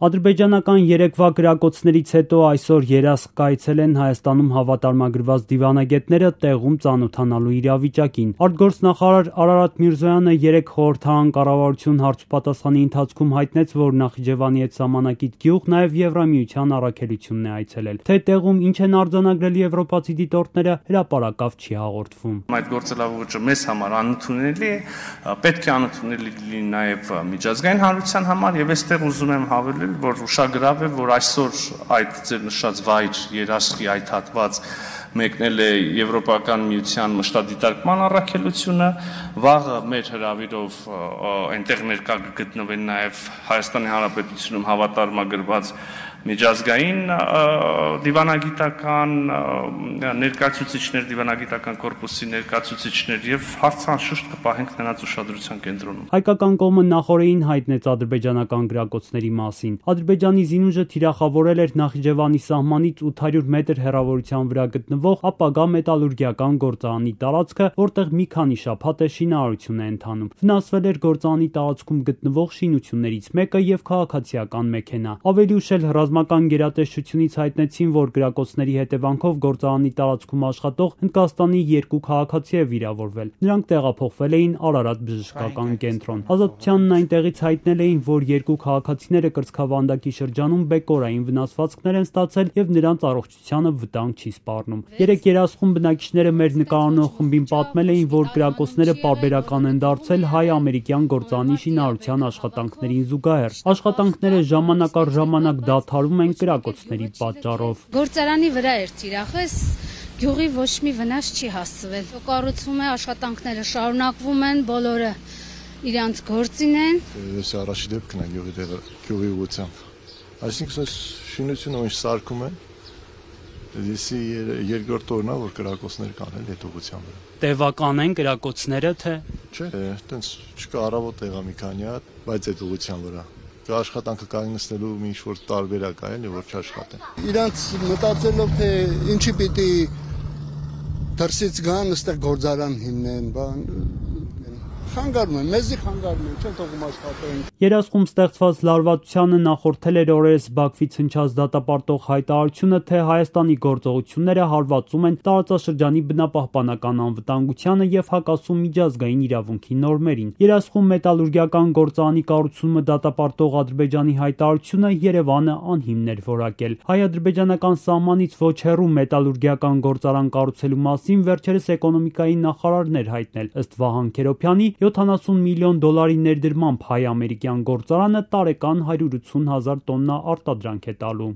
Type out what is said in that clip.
Ադրբեջանական երեկվա կրակոցներից հետո այսօր երասխ կայցել են Հայաստանում հավատարմագրված դիվանագետները տեղում ծանոթանալու իրավիճակին։ Արտգործնախարար Արարատ Միրզոյանը երեկ խորհրդարան կառավարություն հարցուպատասխանի ընթացքում հայտնեց, որ Նախիջևանի հետ սահմանակիցը գյուղ նաև Եվրամիության առաքելությունն է այցելել։ Թե տեղում ինչ են արձանագրել եվրոպացի դիտորդները, հրապարակավ չի հաղորդվում։ Այդ գործելավոճը մեզ համար անընդունելի է, պետք է անընդունելի լինի նաև միջազգային հանրության համար, եւ այստեղ ուզում եմ հավելել, որ ուշագրավ է, որ այսօր այդ ձեր նշած վայր երասխի այդ հատված մեկնել է Եվրոպական միության մշտադիտարկման առաքելությունը, վաղը մեր հրավիրով այնտեղ ներկա կգտնվեն նաև Հայաստանի Հանրապետությունում հավատարմագրված միջազգային դիվանագիտական ներկայացուցիչներ, դիվանագիտական կորպուսի ներկայացուցիչներ եւ հարցանշուշտ կպահենք նրանց ուշադրության կենտրոնում։ Հայկական կողմը նախորդին հայտնեց ադրբեջանական գրակոծների մասին։ Ադրբեջանի զինուժը թիրախավորել էր Նախիջևանի սահմանից 800 մետր հեռավորության վրա գտնվող ապագա մետալուրգիական գործարանի տարածքը, որտեղ մի քանի շաբաթ է շինարարություն է ընթանում։ Վնասվել էր գործարանի տարածքում գտնվող շինություններից մեկը եւ քաղաքացիական մեքենա։ Ավելի ուշ էլ ռազմական գերատեսչությունից հայտնեցին, որ գրակոծների հետևանքով գործարանի տարածքում աշխատող Հնդկաստանի 2 քաղաքացի է վիրավորվել։ Նրանք տեղափոխվել էին Արարատ բժշկական կենտրոն։ Ազատությանն այնտեղից հայտնել էին, որ 2 քաղաքացիները կրծքավանդակի շրջանում բեկորային վնասվածքներ են ստացել եւ նրանց առողջությանը վտանգ չի սպառնում։ Երեք երասխում բնակիչները մեր նկարանող խմբին պատմել էին, որ գրակոծները պարբերական են դարձել հայ-ամերիկյան գործարանի շինարարության աշխատանքներին զուգահեռ։ Աշխատանքները ժամանակ առ ժամանակ դադարում են գրակոծների պատճառով։ Գործարանի վրա էր թիրախս, գյուղի ոչ մի վնաս չի հասցվել։ Կառուցվում է, աշխատանքները շարունակվում են, բոլորը իրանց գործին են։ Ես առաջի դեպքն է գյուղի ուղղությամբ։ Այսինքն շինությունը ինչ սարքում են, դեսի երկրորդ օրն է, որ կրակոցներ կան էլ այդ ուղղությամբ։ Տևական են կրակոցները, թե չէ, այտենց չկա առավոտ եղա մի քանի հատ, բայց այդ ուղղության վրա աշխատանքը կանգնեցնելու մի ինչ-որ տարբերակ է, որ չաշխատեն։ Իրանց մտածելով, թե ինչի պիտի դրսից գան, այստեղ գործարան հիմնեն, բան խանգարում են, մեզի խանգարում են, չեն թողում աշխատեն։ Երասխում ստեղծված լարվածությանը նախորդել էր օրերս Բաքվից հնչած դատապարտող հայտարարությունը, թե Հայաստանի գործողությունները հարվածում են տարածաշրջանի բնապահպանական անվտանգությանը եւ հակասում միջազգային իրավունքի նորմերին։ Երասխում մետալուրգիական գործարանի կառուցումը դատապարտող Ադրբեջանի հայտարարությունը Երևանը անհիմն էր որակել։ Հայ-ադրբեջանական սահմանից ոչ հեռու մետալուրգիական գործարան կառուցելու մասին վերջերս էկոնոմիկայի նախարարն էր հայտնել։ Ըստ Վահան Քերոբյանի 70 միլիոն դոլարի ներդրմամբ հայ-ամերիկյան գործարանը տարեկան 180,000 տոննա արտադրանք է տալու։